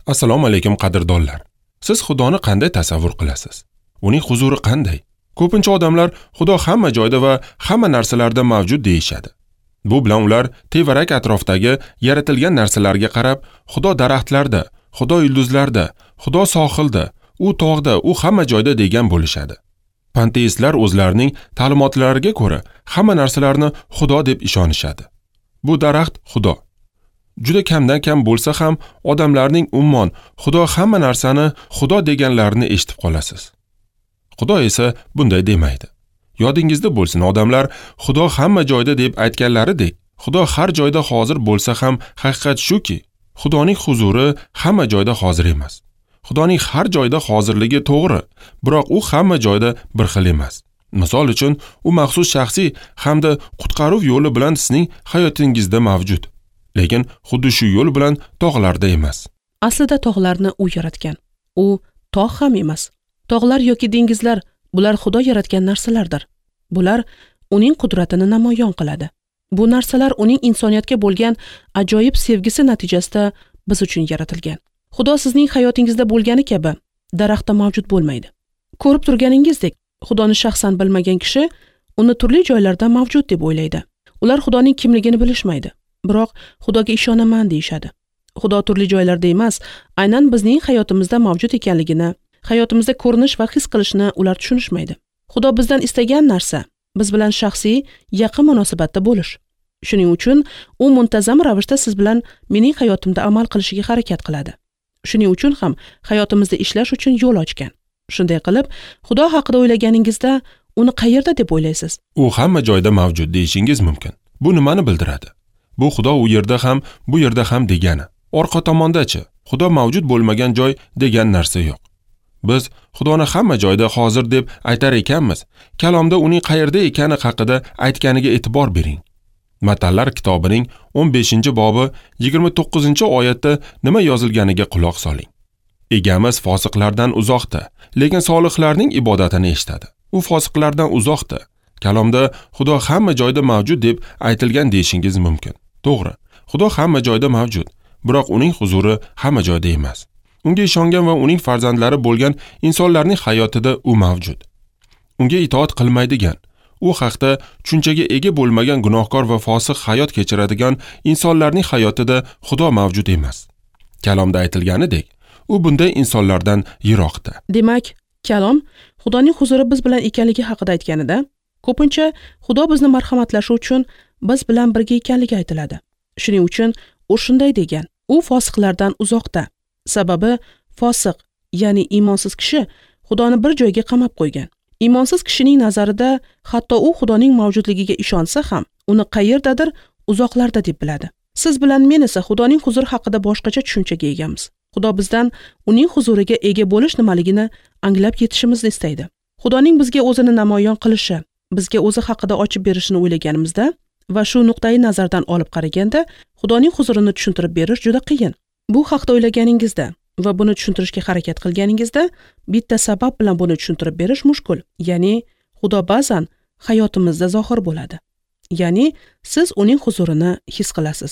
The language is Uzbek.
Assalomu alaykum qadrdonlar. Siz Xudoni qanday tasavvur qilasiz? Uning huzuri qanday? Ko'pincha odamlar Xudo hamma joyda va hamma narsalarda mavjud deyishadi. Bu bilan ular tevarak atrofdagi yaratilgan narsalarga qarab, Xudo daraxtlarda, Xudo yulduzlarda, Xudo sohilda, u tog'da, u hamma joyda degan bo'lishadi. Panteistlar o'zlarining ta'limotlariga ko'ra hamma narsalarni Xudo deb ishonishadi. Bu daraxt Xudo. Juda kamdan kam bo'lsa ham odamlarning ummon Xudo hamma narsani Xudo deganlarini eshitib qolasiz. Xudo esa bunday demaydi. Yodingizda bo'lsin, odamlar Xudo hamma joyda deb aytganlaridek, Xudo har joyda hozir bo'lsa ham haqiqat shuki, Xudoning huzuri hamma joyda hozir emas. Xudoning har joyda hozirligi to'g'ri, biroq u hamma joyda bir xil emas. Misol uchun, u maxsus shaxsiy hamda qutqaruv yo'li bilan sizning hayotingizda mavjud. Lekin xuddi shu yo'l bilan tog'larda emas. Aslida tog'larni u yaratgan. U tog' ham emas. Tog'lar yoki dengizlar bular Xudo yaratgan narsalardir. Bular uning qudratini namoyon qiladi. Bu narsalar uning insoniyatga bo'lgan ajoyib sevgisi natijasida biz uchun yaratilgan. Xudo sizning hayotingizda bo'lgani kabi daraxtda mavjud bo'lmaydi. Ko'rib turganingizdek, Xudoni shaxsan bilmagan kishi uni turli joylarda mavjud deb o'ylaydi. Ular Xudoning kimligini bilishmaydi. Biroq Xudoga ishonaman deyishadi. Xudo turli joylarda emas, aynan bizning hayotimizda mavjud ekanligini, hayotimizda ko'rinish va his qilishni ular tushunishmaydi. Xudo bizdan istagan narsa biz bilan shaxsiy yaqin munosabatda bo'lish. Shuning uchun u muntazam ravishda siz bilan mening hayotimda amal qilishiga harakat qiladi. Shuning uchun ham hayotimizda ishlash uchun yo'l ochgan. Shunday qilib, Xudo haqida o'ylaganingizda uni qayerda deb o'ylaysiz? U hamma joyda mavjud deyishingiz mumkin. Bu nimani bildiradi? Bu Xudo u yerda ham, bu yerda ham degani. Orqa tomonda-chi, Xudo mavjud bo'lmagan joy degan narsa yo'q. Biz Xudoni hamma joyda hozir deb aytar ekanmiz, kalomda uning qayerda ekani haqida aytganiga e'tibor bering. Matallar kitobining 15-bobi 29-oyatda nima yozilganiga quloq soling. Egamiz fosiqlardan uzoqda, lekin solihlarning ibodatini eshitadi. U fosiqlardan uzoqda. Kalomda Xudo hamma joyda mavjud deb aytilgan deyishingiz mumkin. To'g'ri, Xudo hamma joyda mavjud, biroq uning huzuri hamma joyda emas. Unga ishongan va uning farzandlari bo'lgan insonlarning hayotida u mavjud. Unga itoat qilmaydigan, u haqda tushunchaga ega bo'lmagan gunohkor va fosiq hayot kechiradigan insonlarning hayotida Xudo mavjud emas. Kalomda aytilganidek, u bunday insonlardan yiroqda. Demak, kalom Xudoning huzuri biz bilan ekanligi haqida aytganida, ko'pincha Xudo bizni marhamatlashi uchun biz bilan birga ekanligi aytiladi. Shuning uchun u shunday degan: u fosiqlardan uzoqda. Sababi fosiq, ya'ni iymonsiz kishi Xudoni bir joyga qamab qo'ygan. Iymonsiz kishining nazarida hatto u Xudoning mavjudligiga ishonsa ham, uni qayerdadir uzoqlarda deb biladi. Siz bilan men esa Xudoning huzuri haqida boshqacha tushunchaga egamiz. Xudo bizdan uning huzuriga ega bo'lish nimaligini anglab yetishimizni istaydi. Xudoning bizga o'zini namoyon qilishi, bizga o'zi haqida ochib berishini o'ylaganimizda va shu nuqtai nazardan olib qaraganda Xudoning huzurini tushuntirib berish juda qiyin. Bu haqda o'ylaganingizda va buni tushuntirishga harakat qilganingizda bitta sabab bilan buni tushuntirib berish mushkul. Ya'ni Xudo ba'zan hayotimizda zohir bo'ladi. Ya'ni siz uning huzurini his qilasiz.